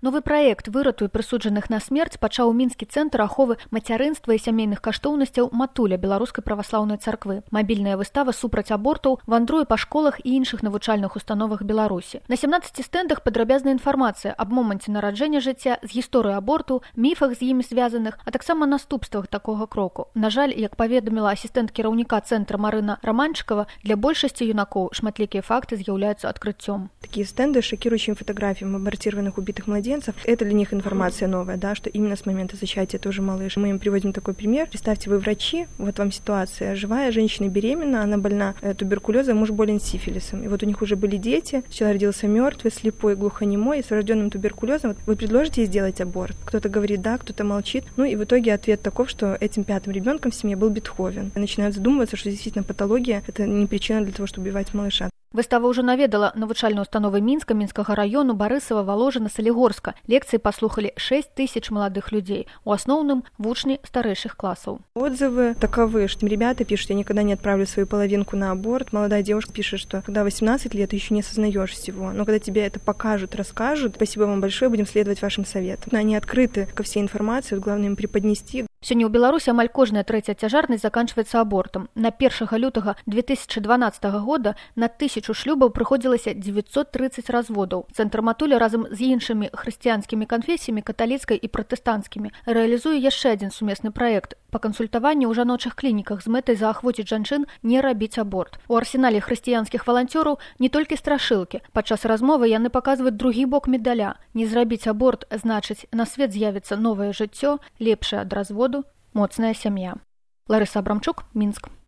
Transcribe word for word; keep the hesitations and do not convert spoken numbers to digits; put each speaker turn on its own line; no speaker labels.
Новы праект «Выратуй прысуджаных на смерць» пачаў мінскі цэнтр аховы мацярынства і сямейных каштоўнасцяў «Матуля» беларускай праваслаўнай царквы. Мабільная выстава супраць абортаў вандруе па школах і іншых навучальных установах Беларусі. На сямнаццаці стэндах падрабязная інфармацыя аб моманце нараджэння жыцця, з гісторыі аборту, міфах з імі звязаных, а таксама наступствах такога кроку. На жаль, як паведаміла асістэнт кіраўніка цэнтра Марына Романчыкова, для большасці юнакоў шматлікія факты з'яўляюцца адкрыццём.
Такие стенды с шокирующими фотографиями абортированных убитых младенцев. Это для них информация новая, да, что именно с момента зачатия тоже малыш. Мы им приводим такой пример. Представьте, вы врачи, вот вам ситуация. Живая женщина беременна, она больна туберкулезом, муж болен сифилисом. И вот у них уже были дети, человек родился мертвый, слепой, глухонемой, и с врожденным туберкулезом. Вот вы предложите ей сделать аборт? Кто-то говорит да, кто-то молчит. Ну и в итоге ответ таков, что этим пятым ребенком в семье был Бетховен. И начинают задумываться, что действительно патология – это не причина для того, чтобы убивать малыша.
Выстава ўжо наведала навучальныя установы Мінска, Мінскага раёну, Барысава, Валожына, Салігорска. Лекцыі паслухалі шэсць тысяч маладых людзей, у асноўным вучні старэйшых класаў.
Отзывы таковы, что ребята пишут: я никогда не отправлю свою половинку на аборт. Молодая девушка пишет, что когда восемнадцать лет, ты еще не осознаешь всего. Но когда тебе это покажут, расскажут, спасибо вам большое, будем следовать вашим советам. Они открыты ко всей информации, главное им преподнести.
Сёння ў Беларусі амаль кожная трэцяя цяжарнасць заканчваецца абортам. На першага лютага две тысячы дванаццатага года на тысячу шлюбаў прыходзілася дзевяцьсот трыццаць разводаў. Цэнтр «Матуля» разам з іншымі хрысціянскімі канфесіямі, каталіцкай і пратэстанцкімі, рэалізуе яшчэ адзін сумесны праект па кансультаванні ў жаночых клініках з мэтай заахвоціць жанчын не рабіць аборт. У арсенале хрысціянскіх валанцёраў не толькі страшылкі. Падчас размовы яны паказваюць другі бок медаля. Не зрабіць аборт значыць, на свет з'явіцца новае жыццё, лепшае ад разводу, моцная сям'я. Ларыса Абрамчук, Мінск.